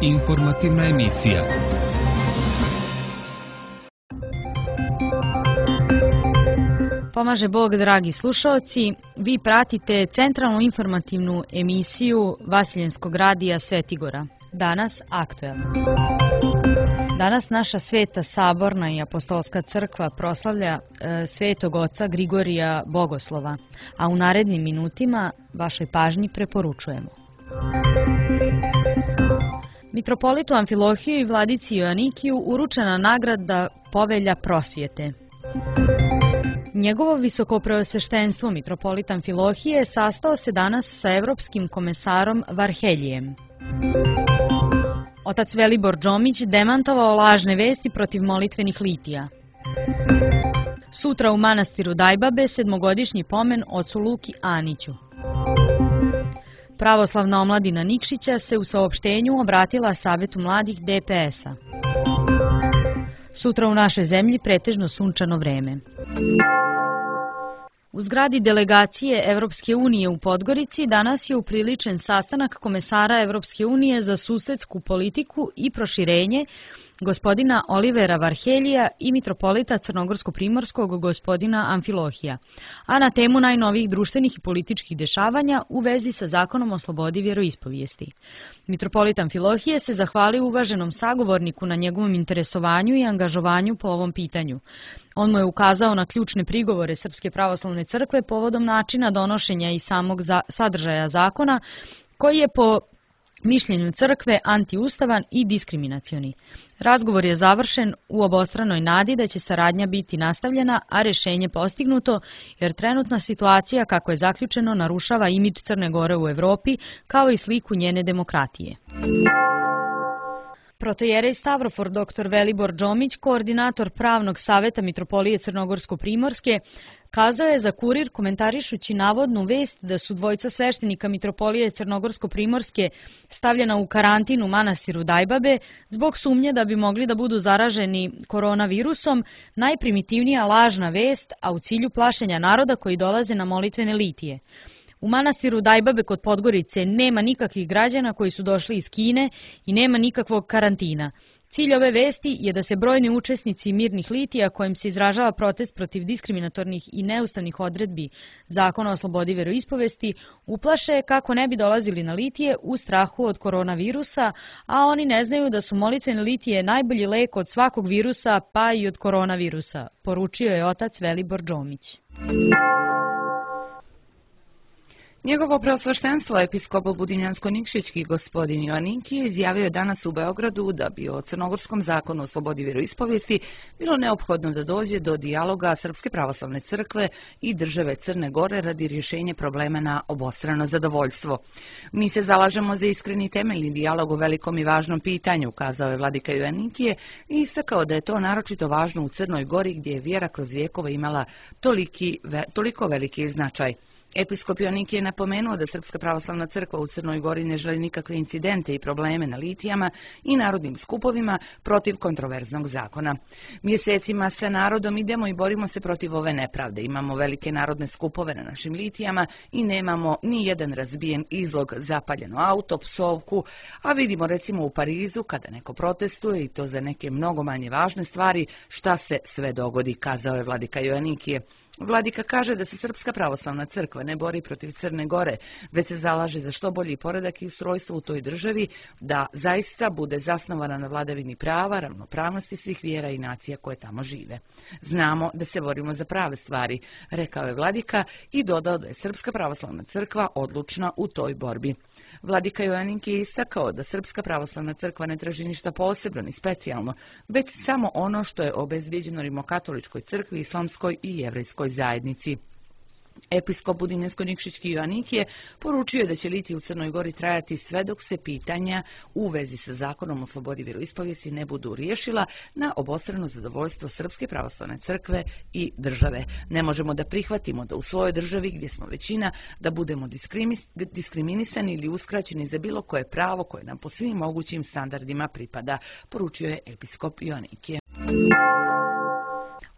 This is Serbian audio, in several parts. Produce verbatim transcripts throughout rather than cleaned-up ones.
Informativna emisija. Pomaže Bog, dragi slušaoci. Vi pratite centralnu informativnu emisiju Vasiljenskog radija Svetigora. Danas aktuelno. Danas naša Sveta Saborna i Apostolska crkva proslavlja e, Svetog oca Grigorija Bogoslova, a u narednim minutima vašoj pažnji preporučujemo. Mitropolitu Amfilohiju i vladici Joanikiju uručena nagrada Povelja prosvjete. Njegovo visokopreosveštenstvo mitropolit Amfilohije sastao se danas sa evropskim komesarom Varheljijem. Otac Velibor Džomić demantovao lažne vesti protiv molitvenih litija. Sutra u manastiru Dajbabe sedmogodišnji pomen ocu Luki Aniću. Pravoslavna omladina Nikšića se u saopštenju obratila Savetu mladih D P S-a. Sutra u našoj zemlji pretežno sunčano vreme. U zgradi delegacije Evropske unije u Podgorici danas je upriličen sastanak komesara Evropske unije za susedsku politiku i proširenje gospodina Olivera Varheljija i mitropolita Crnogorsko-Primorskog gospodina Amfilohija, a na temu najnovijih društvenih i političkih dešavanja u vezi sa zakonom o slobodi vjeroispovijesti. Mitropolit Amfilohije se zahvalio uvaženom sagovorniku na njegovom interesovanju i angažovanju po ovom pitanju. On mu je ukazao na ključne prigovore Srpske pravoslavne crkve povodom načina donošenja i samog za, sadržaja zakona, koji je po mišljenju crkve antiustavan i diskriminacioni. Razgovor je završen u obostranoj nadi da će saradnja biti nastavljena, a rješenje postignuto, jer trenutna situacija, kako je zaključeno, narušava imidž Crne Gore u Evropi, kao i sliku njene demokratije. Protojerej Stavrofor doktor Velibor Džomić, koordinator pravnog saveta Mitropolije Crnogorsko-Primorske, kazao je za Kurir komentarišući navodnu vest da su dvojica sveštenika Mitropolije Crnogorsko-Primorske stavljena u karantin u manastiru Dajbabe zbog sumnje da bi mogli da budu zaraženi koronavirusom, najprimitivnija lažna vest, a u cilju plašenja naroda koji dolaze na molitvene litije. U manastiru Dajbabe kod Podgorice nema nikakvih građana koji su došli iz Kine i nema nikakvog karantina. Cilj ove vesti je da se brojni učesnici mirnih litija, kojim se izražava protest protiv diskriminatornih i neustavnih odredbi Zakona o slobodi vjeroispovesti, uplaše kako ne bi dolazili na litije u strahu od koronavirusa, a oni ne znaju da su molitvene litije najbolji lek od svakog virusa, pa i od koronavirusa, poručio je otac Velibor Džomić. Njegovo preosveštenstvo episkop Budinjansko-Nikšićki gospodin Joanikije izjavio je danas u Beogradu da bi o crnogorskom zakonu o slobodi vjeroispovijesti bilo neophodno da dođe do dijaloga Srpske pravoslavne crkve i države Crne Gore radi rješenja problema na obostrano zadovoljstvo. Mi se zalažemo za iskreni temeljni dijalog o velikom i važnom pitanju, kazao je vladika Joanikije i istakao da je to naročito važno u Crnoj Gori gdje je vjera kroz vjekove imala toliki, toliko veliki značaj. Episkop Joanikije je napomenuo da Srpska pravoslavna crkva u Crnoj Gori ne želi nikakve incidente i probleme na litijama i narodnim skupovima protiv kontroverznog zakona. Mjesecima sa narodom idemo i borimo se protiv ove nepravde. Imamo velike narodne skupove na našim litijama i nemamo ni jedan razbijen izlog, zapaljeno auto, psovku, a vidimo recimo u Parizu kada neko protestuje i to za neke mnogo manje važne stvari, šta se sve dogodi, kazao je vladika Joanikije. Vladika kaže da se Srpska pravoslavna crkva ne bori protiv Crne Gore, već se zalaže za što bolji poredak i ustrojstvo u toj državi, da zaista bude zasnovana na vladavini prava, ravnopravnosti svih vjera i nacija koje tamo žive. Znamo da se borimo za prave stvari, rekao je vladika i dodao da je Srpska pravoslavna crkva odlučna u toj borbi. Vladika Joanikije je istakao da Srpska pravoslavna crkva ne traži ništa posebno ni specijalno, već samo ono što je obezbijeđeno Rimokatoličkoj crkvi, islamskoj i jevrejskoj zajednici. Episkop Budinjansko-Nikšićki Joanikije poručio je da će litije u Crnoj Gori trajati sve dok se pitanja u vezi sa zakonom o slobodi vjeroispovijesti ne budu riješila na obostrano zadovoljstvo Srpske pravoslavne crkve i države. Ne možemo da prihvatimo da u svojoj državi gdje smo većina da budemo diskriminisani ili uskraćeni za bilo koje pravo koje nam po svim mogućim standardima pripada, poručio je episkop Joanikije.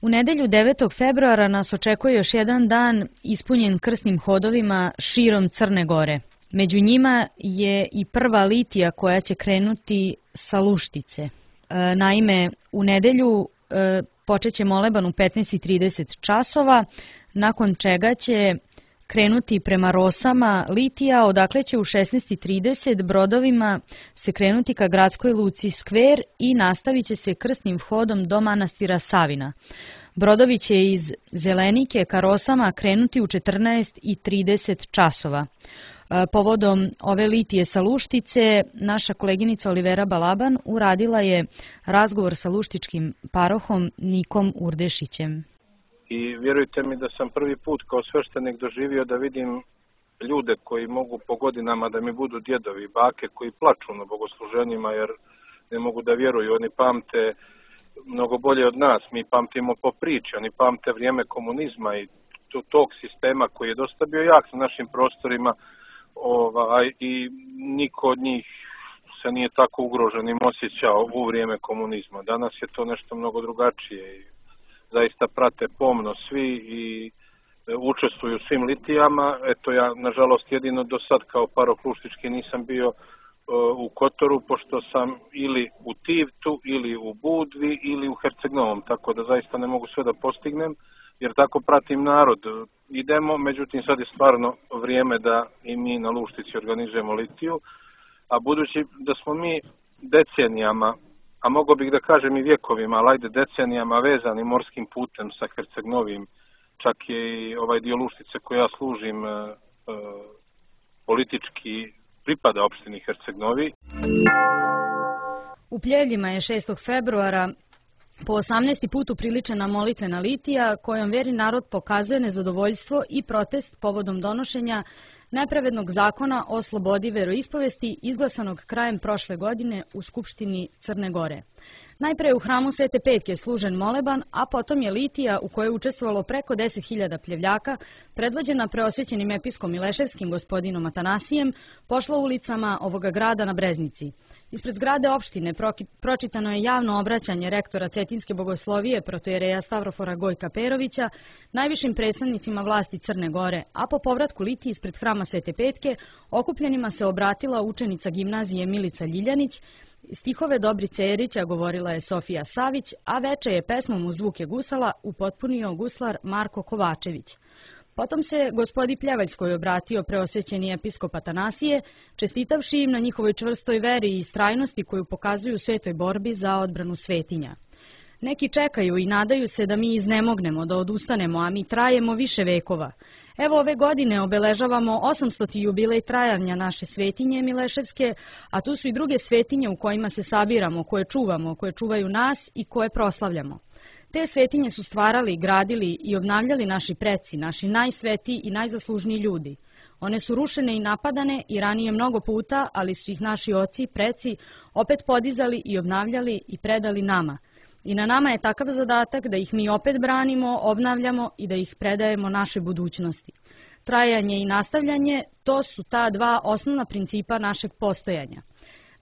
U nedelju devetog februara nas očekuje još jedan dan ispunjen krsnim hodovima širom Crne Gore. Među njima je i prva litija koja će krenuti sa Luštice. Naime, u nedelju počet će moleban u petnaest i trideset časova, nakon čega će krenuti prema Rosama litija, odakle će u šesnaest i trideset brodovima se krenuti ka gradskoj luci Skver i nastavit će se krsnim vhodom do manastira Savina. Brodovi će iz Zelenike ka Rosama krenuti u četrnaest i trideset časova. Povodom ove litije sa Luštice, naša koleginica Olivera Balaban uradila je razgovor sa luštičkim parohom Nikom Urdešićem. I vjerujte mi da sam prvi put kao sveštenik doživio da vidim ljude koji mogu po godinama da mi budu djedovi, bake koji plaču na bogosluženjima jer ne mogu da vjeruju. Oni pamte mnogo bolje od nas, mi pamtimo po priči, oni pamte vrijeme komunizma i tog sistema koji je dosta bio jak na našim prostorima. Ovaj, i niko od njih se nije tako ugroženim osjećao u vrijeme komunizma. Danas je to nešto mnogo drugačije i zaista prate pomno svi i učestvuju u svim litijama. Eto ja, nažalost, jedino do sad kao paroh luštički nisam bio u Kotoru, pošto sam ili u Tivtu, ili u Budvi, ili u Herceg-Novom, tako da zaista ne mogu sve da postignem, jer tako pratim narod. Idemo, međutim sad je stvarno vrijeme da i mi na Luštici organizujemo litiju, a budući da smo mi decenijama, a mogo bih da kažem i vjekovima, ali ajde decenijama vezani morskim putem sa Herceg-Novim, čak je i ovaj dio Luštice koji ja služim e, e, politički pripada opštini Herceg-Novi. U Pljevljima je šestog februara po osamnaesti put upriličena molitvena litija kojom veri narod pokazuje nezadovoljstvo i protest povodom donošenja nepravednog zakona o slobodi veroispovesti izglasanog krajem prošle godine u Skupštini Crne Gore. Najpre je u hramu Svete Petke služen moleban, a potom je litija u kojoj je učestvovalo preko deset hiljada pljevljaka, predvođena preosvećenim episkom Mileševskim gospodinom Atanasijem, pošla ulicama ovoga grada na Breznici. Ispred zgrade opštine pročitano je javno obraćanje rektora Cetinske bogoslovije protojereja Stavrofora Gojka Perovića najvišim predstavnicima vlasti Crne Gore, a po povratku litiji ispred hrama Svete Petke okupljenima se obratila učenica gimnazije Milica Ljiljanić. Stihove Dobrice Erića govorila je Sofija Savić, a veče je pesmom uz zvuke gusala upotpunio guslar Marko Kovačević. Potom se gospodi Pljevaljskoj obratio preosvećeni episkop Atanasije, čestitavši im na njihovoj čvrstoj veri i istrajnosti koju pokazuju u svetoj borbi za odbranu svetinja. Neki čekaju i nadaju se da mi iznemognemo, da odustanemo, a mi trajemo više vekova. Evo ove godine obeležavamo osamstoti jubilej trajanja naše svetinje Mileševske, a tu su i druge svetinje u kojima se sabiramo, koje čuvamo, koje čuvaju nas i koje proslavljamo. Te svetinje su stvarali, gradili i obnavljali naši preci, naši najsvetiji i najzaslužniji ljudi. One su rušene i napadane i ranije mnogo puta, ali su ih naši oci, preci, opet podizali i obnavljali i predali nama. I na nama je takav zadatak da ih mi opet branimo, obnavljamo i da ih predajemo našoj budućnosti. Trajanje i nastavljanje, to su ta dva osnovna principa našeg postojanja.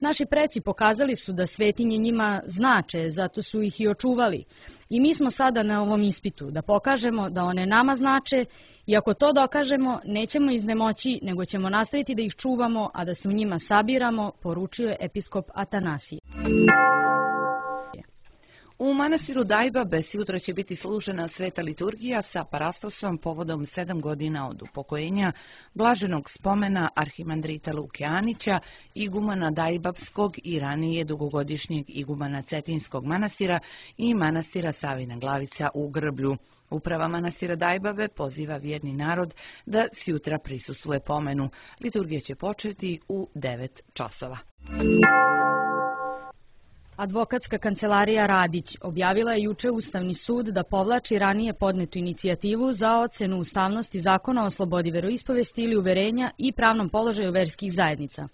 Naši preci pokazali su da svetinje njima znače, zato su ih i očuvali. I mi smo sada na ovom ispitu da pokažemo da one nama znače i ako to dokažemo, nećemo iznemoći, nego ćemo nastaviti da ih čuvamo, a da se u njima sabiramo, poručuje episkop Atanasije. U manastiru Dajbabe sutra će biti služena sveta liturgija sa parastosom povodom sedam godina od upokojenja blaženog spomena arhimandrita Luke Anića, igumana Dajbabskog i ranije dugogodišnjeg igumana Cetinskog manastira i manastira Savina Glavica u Grblju. Uprava manastira Dajbabe poziva vjerni narod da sutra prisustvuje pomenu. Liturgija će početi u devet časova. Advokatska kancelarija Radić objavila je juče Ustavni sud da povlači ranije podnetu inicijativu za ocenu ustavnosti Zakona o slobodi veroispovesti ili uverenja i pravnom položaju verskih zajednica.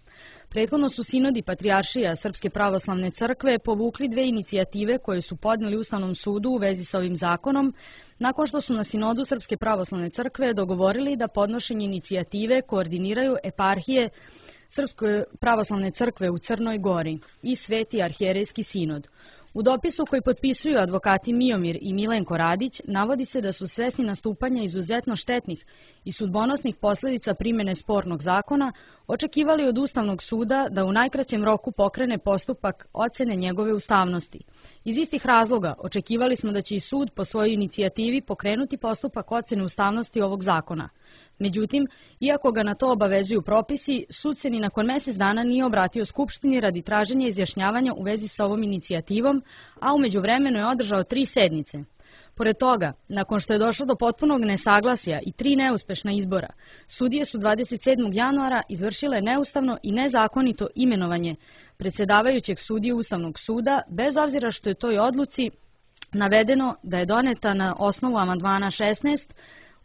Prethodno su sinodi Patrijaršija Srpske pravoslavne crkve povukli dve inicijative koje su podneli Ustavnom sudu u vezi sa ovim zakonom, nakon što su na sinodu Srpske pravoslavne crkve dogovorili da podnošenje inicijative koordiniraju eparhije Srpske pravoslavne crkve u Crnoj Gori i Sveti arhijerejski sinod. U dopisu koji potpisuju advokati Miomir i Milenko Radić navodi se da su svesni nastupanja izuzetno štetnih i sudbonosnih posljedica primjene spornog zakona, očekivali od Ustavnog suda da u najkraćem roku pokrene postupak ocjene njegove ustavnosti. Iz istih razloga očekivali smo da će i sud po svojoj inicijativi pokrenuti postupak ocjene ustavnosti ovog zakona. Međutim, iako ga na to obavezuju propisi, sud se ni nakon mjesec dana nije obratio Skupštini radi traženja izjašnjavanja u vezi s ovom inicijativom, a u međuvremenu je održao tri sednice. Pored toga, nakon što je došlo do potpunog nesaglasja i tri neuspešna izbora, sudije su dvadeset sedmog januara izvršile neustavno i nezakonito imenovanje predsjedavajućeg sudije Ustavnog suda, bez obzira što je toj odluci navedeno da je doneta na osnovu amandmana šesnaest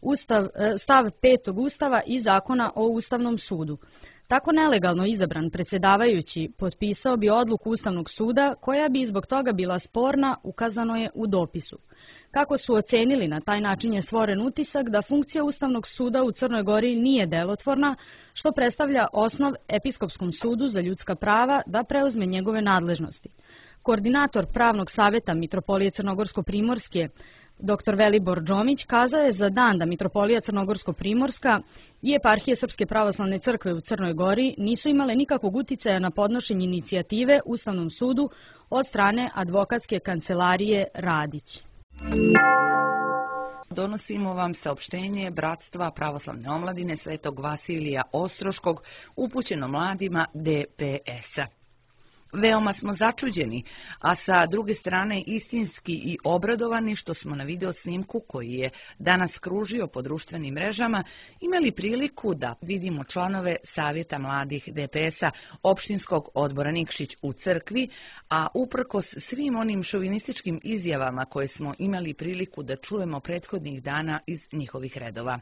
Ustav, stav petog Ustava i Zakona o Ustavnom sudu. Tako nelegalno izabran predsjedavajući potpisao bi odluku Ustavnog suda koja bi zbog toga bila sporna, ukazano je u dopisu. Kako su ocenili, na taj način je stvoren utisak da funkcija Ustavnog suda u Crnoj Gori nije delotvorna, što predstavlja osnov Episkopskom sudu za ljudska prava da preuzme njegove nadležnosti. Koordinator Pravnog savjeta Mitropolije Crnogorsko-Primorske, doktor Velibor Džomić, kazao je za dan da Mitropolija Crnogorsko-Primorska i Eparhije Srpske pravoslavne crkve u Crnoj Gori nisu imale nikakvog uticaja na podnošenje inicijative Ustavnom sudu od strane advokatske kancelarije Radić. Donosimo vam saopštenje Bratstva pravoslavne omladine Svetog Vasilija Ostroškog upućeno mladima D P S-a. Veoma smo začuđeni, a sa druge strane istinski i obradovani što smo na video snimku koji je danas kružio po društvenim mrežama imali priliku da vidimo članove Savjeta mladih D P S-a opštinskog odbora Nikšić u crkvi, a uprkos svim onim šovinističkim izjavama koje smo imali priliku da čujemo prethodnih dana iz njihovih redova.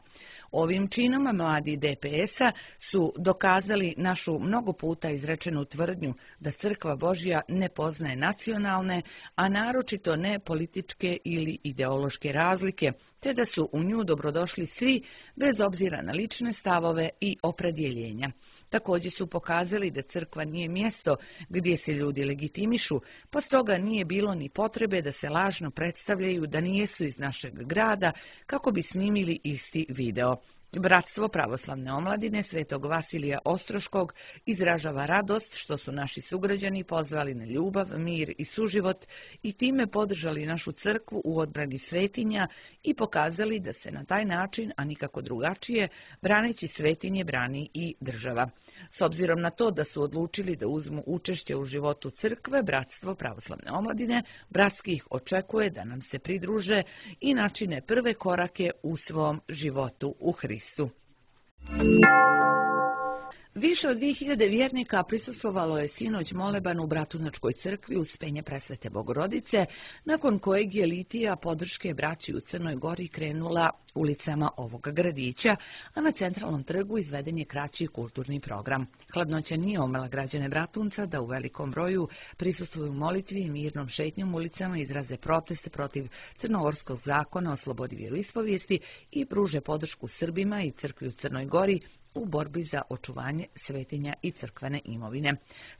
Ovim činom mladi D P S-a su dokazali našu mnogo puta izrečenu tvrdnju da Crkva Božja ne poznaje nacionalne, a naročito ne političke ili ideološke razlike, te da su u nju dobrodošli svi bez obzira na lične stavove i opredjeljenja. Također su pokazali da crkva nije mjesto gdje se ljudi legitimišu, pa stoga nije bilo ni potrebe da se lažno predstavljaju da nijesu iz našeg grada kako bi snimili isti video. Bratstvo pravoslavne omladine Svetog Vasilija Ostroškog izražava radost što su naši sugrađani pozvali na ljubav, mir i suživot i time podržali našu crkvu u odbrani svetinja i pokazali da se na taj način, a nikako drugačije, braneći svetinje brani i država. S obzirom na to da su odlučili da uzmu učešće u životu crkve, Bratstvo pravoslavne omladine bratski ih očekuje da nam se pridruže i načine prve korake u svom životu u Hristu. Više od dvije hiljade vjernika prisustvovalo je sinoć moleban u Bratunačkoj crkvi uz penje Presvete Bogorodice, nakon kojeg je litija podrške braći u Crnoj Gori krenula ulicama ovoga gradića, a na centralnom trgu izveden je kraći kulturni program. Hladnoća nije omela građane Bratunca da u velikom broju prisustvuju molitvi i mirnom šetnjom ulicama izraze proteste protiv crnogorskog zakona o slobodi vjeroispovijesti i pruže podršku Srbima i crkvi u Crnoj Gori u borbi za očuvanje svetinja i crkvene imovine.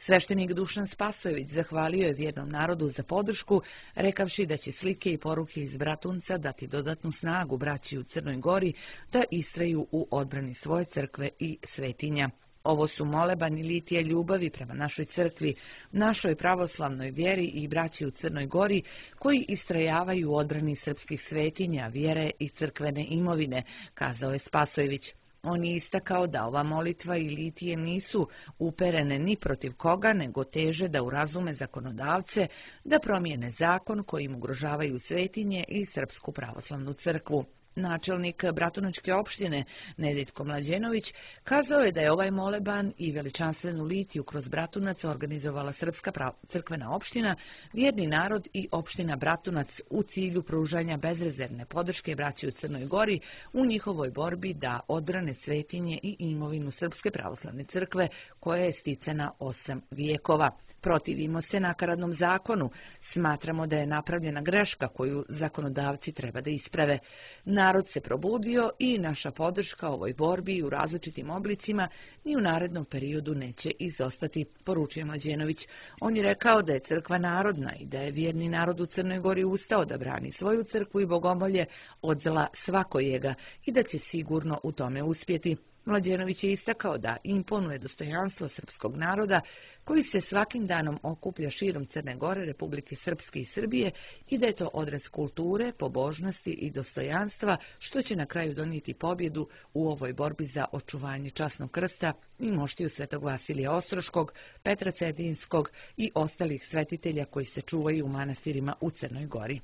Sveštenik Dušan Spasojević zahvalio je vjernom narodu za podršku, rekavši da će slike i poruke iz Bratunca dati dodatnu snagu braći u Crnoj Gori da istraju u odbrani svoje crkve i svetinja. Ovo su molebani litija ljubavi prema našoj crkvi, našoj pravoslavnoj vjeri i braći u Crnoj Gori koji istrajavaju u odbrani srpskih svetinja, vjere i crkvene imovine, kazao je Spasojević. On je istakao da ova molitva i litije nisu uperene ni protiv koga, nego teže da urazume zakonodavce da promijene zakon kojim ugrožavaju svetinje i Srpsku pravoslavnu crkvu. Načelnik Bratunačke opštine Nedjeljko Mlađenović kazao je da je ovaj moleban i veličanstvenu litiju kroz Bratunac organizovala Srpska crkvena opština, vjerni narod i opština Bratunac u cilju pružanja bezrezervne podrške braći u Crnoj Gori u njihovoj borbi da odbrane svetinje i imovinu Srpske pravoslavne crkve koja je sticana osam vijekova. Protivimo se nakaradnom zakonu. Smatramo da je napravljena greška koju zakonodavci treba da isprave. Narod se probudio i naša podrška ovoj borbi u različitim oblicima ni u narednom periodu neće izostati, poručuje Mlađenović. On je rekao da je crkva narodna i da je vjerni narod u Crnoj Gori ustao da brani svoju crkvu i bogomolje od zla svakojega i da će sigurno u tome uspjeti. Mlađenović je istakao da imponuje dostojanstvo srpskog naroda koji se svakim danom okuplja širom Crne Gore, Republike Srpske i Srbije i da je to odraz kulture, pobožnosti i dostojanstva što će na kraju donijeti pobjedu u ovoj borbi za očuvanje časnog krsta i moštiju Svetog Vasilija Ostroškog, Petra Cetinskog i ostalih svetitelja koji se čuvaju u manastirima u Crnoj Gori.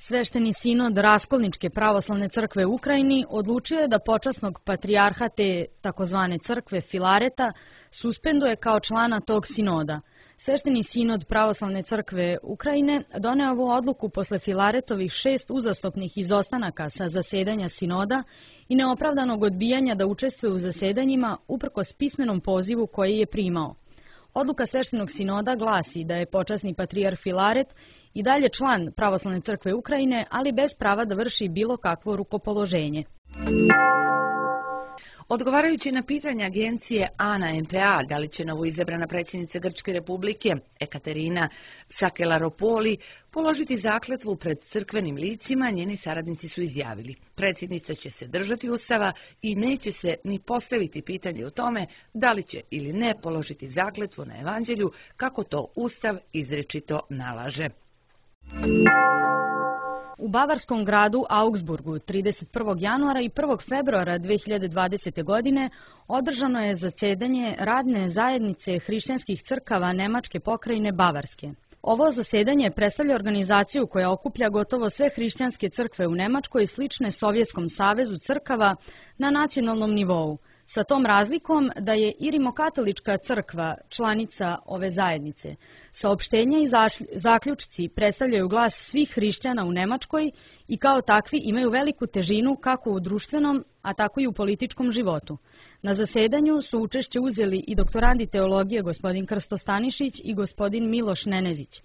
Svešteni sinod Raskolničke pravoslavne crkve u Ukrajini odlučio je da počasnog patrijarha te takozvane crkve Filareta suspenduje kao člana tog sinoda. Svešteni sinod pravoslavne crkve Ukrajine doneo ovu odluku posle Filaretovih šest uzastopnih izostanaka sa zasedanja sinoda i neopravdanog odbijanja da učestvuje u zasedanjima uprkos pismenom pozivu koji je primao. Odluka sveštenog sinoda glasi da je počasni patrijarh Filaret i dalje član pravoslavne crkve Ukrajine, ali bez prava da vrši bilo kakvo rukopoloženje. Odgovarajući na pitanje agencije A N A M P A da li će novoizabrana predsjednica Grčke republike Ekaterina Sakelaropoli položiti zakletvu pred crkvenim licima, njeni saradnici su izjavili: predsjednica će se držati Ustava i neće se ni postaviti pitanje o tome da li će ili ne položiti zakletvu na evanđelju kako to Ustav izričito nalaže. U bavarskom gradu Augsburgu trideset prvog januara i prvog februara dve hiljade dvadesete. godine održano je zasedanje radne zajednice hrišćanskih crkava Nemačke pokrajine Bavarske. Ovo zasedanje predstavlja organizaciju koja okuplja gotovo sve hrišćanske crkve u Nemačkoj slične Sovjetskom savezu crkava na nacionalnom nivou, sa tom razlikom da je i rimokatolička crkva članica ove zajednice. Saopštenja i zaključci predstavljaju glas svih hrišćana u Nemačkoj i kao takvi imaju veliku težinu kako u društvenom, a tako i u političkom životu. Na zasedanju su učešće uzeli i doktorandi teologije gospodin Krsto Stanišić i gospodin Miloš Nenezić.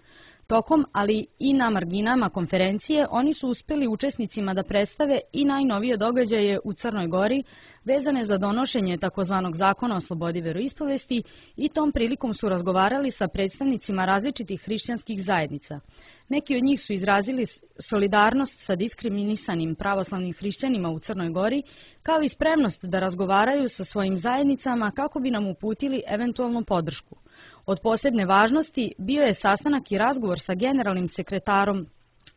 Tokom, ali i na marginama konferencije, oni su uspjeli učesnicima da predstave i najnovije događaje u Crnoj Gori vezane za donošenje takozvanog zakona o slobodi veroispovesti i tom prilikom su razgovarali sa predstavnicima različitih hrišćanskih zajednica. Neki od njih su izrazili solidarnost sa diskriminisanim pravoslavnim hrišćanima u Crnoj Gori, kao i spremnost da razgovaraju sa svojim zajednicama kako bi nam uputili eventualnu podršku. Od posebne važnosti bio je sastanak i razgovor sa generalnim sekretarom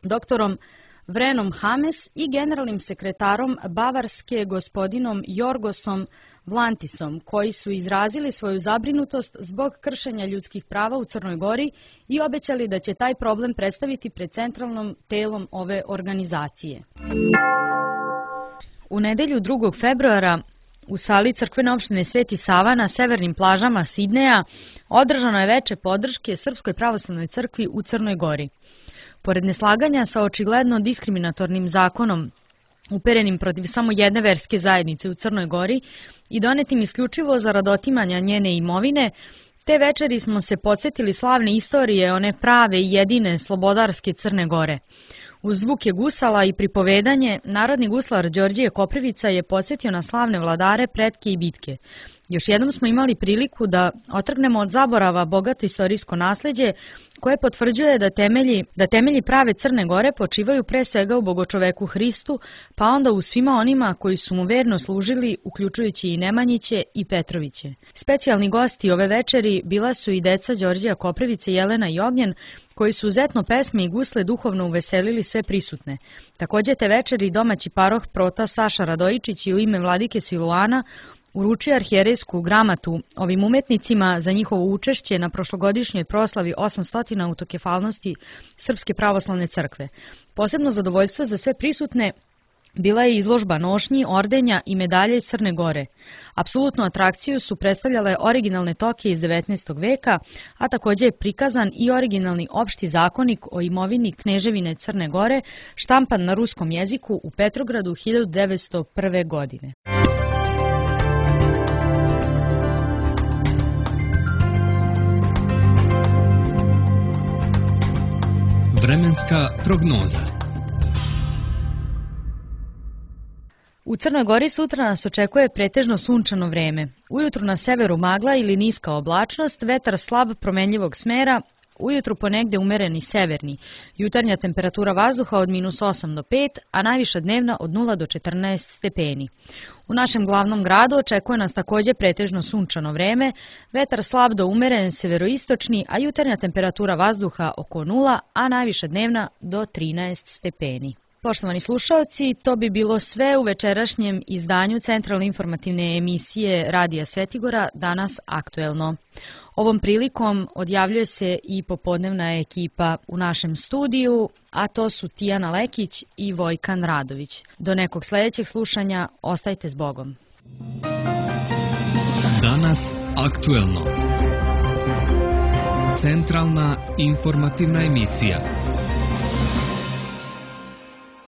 doktorom Vrenom Hames i generalnim sekretarom Bavarske gospodinom Jorgosom Vlantisom, koji su izrazili svoju zabrinutost zbog kršenja ljudskih prava u Crnoj Gori i obećali da će taj problem predstaviti pred centralnom telom ove organizacije. U nedelju drugog februara u sali crkvene opštine Sveti Sava na severnim plažama Sidneja održano je veče podrške Srpskoj pravoslavnoj crkvi u Crnoj Gori. Pored neslaganja sa očigledno diskriminatornim zakonom uperenim protiv samo jedne verske zajednice u Crnoj Gori i donetim isključivo zarad otimanja njene imovine, te večeri smo se podsjetili slavne istorije one prave i jedine slobodarske Crne Gore. Uz zvuke gusala i pripovedanje, narodni guslar Đorđije Koprivica je podsjetio na slavne vladare, pretke i bitke. Još jednom smo imali priliku da otrgnemo od zaborava bogato istorijsko nasleđe koje potvrđuje da temelji, da temelji prave Crne Gore počivaju pre svega u bogočoveku Hristu, pa onda u svima onima koji su mu verno služili, uključujući i Nemanjiće i Petroviće. Specijalni gosti ove večeri bila su i deca Đorđija Koprivice, Jelena i Ognjen, koji su uzetno pesme i gusle duhovno uveselili sve prisutne. Također te večeri domaći paroh prota Saša Radojičić i u ime vladike Siluana uručio arhijerejsku gramatu ovim umetnicima za njihovo učešće na prošlogodišnjoj proslavi osamstotine autokefalnosti Srpske pravoslavne crkve. Posebno zadovoljstvo za sve prisutne bila je izložba nošnji, ordenja i medalje iz Crne Gore. Apsolutnu atrakciju su predstavljale originalne toke iz devetnaestog veka, a također je prikazan i originalni opšti zakonik o imovini Kneževine Crne Gore, štampan na ruskom jeziku u Petrogradu hiljadu devetsto prve. godine. Vremenska prognoza. U Crnoj Gori sutra nas očekuje pretežno sunčano vreme. Ujutru na severu magla ili niska oblačnost, vetar slab promenljivog smera, ujutru ponegde umereni severni. Jutarnja temperatura vazduha od minus osam do pet, a najviša dnevna od nula do četrnaest stepeni. U našem glavnom gradu očekuje nas takođe pretežno sunčano vreme, vetar slab do umeren severoistočni, a jutarnja temperatura vazduha oko nula, a najviša dnevna do trinaest stepeni. Poštovani slušaoci, to bi bilo sve u večerašnjem izdanju centralne informativne emisije Radija Svetigora, danas aktuelno. Ovom prilikom odjavljuje se i popodnevna ekipa u našem studiju, a to su Tijana Lekić i Vojkan Radović. Do nekog sledećeg slušanja, ostajte s Bogom. Danas aktuelno. Centralna informativna emisija.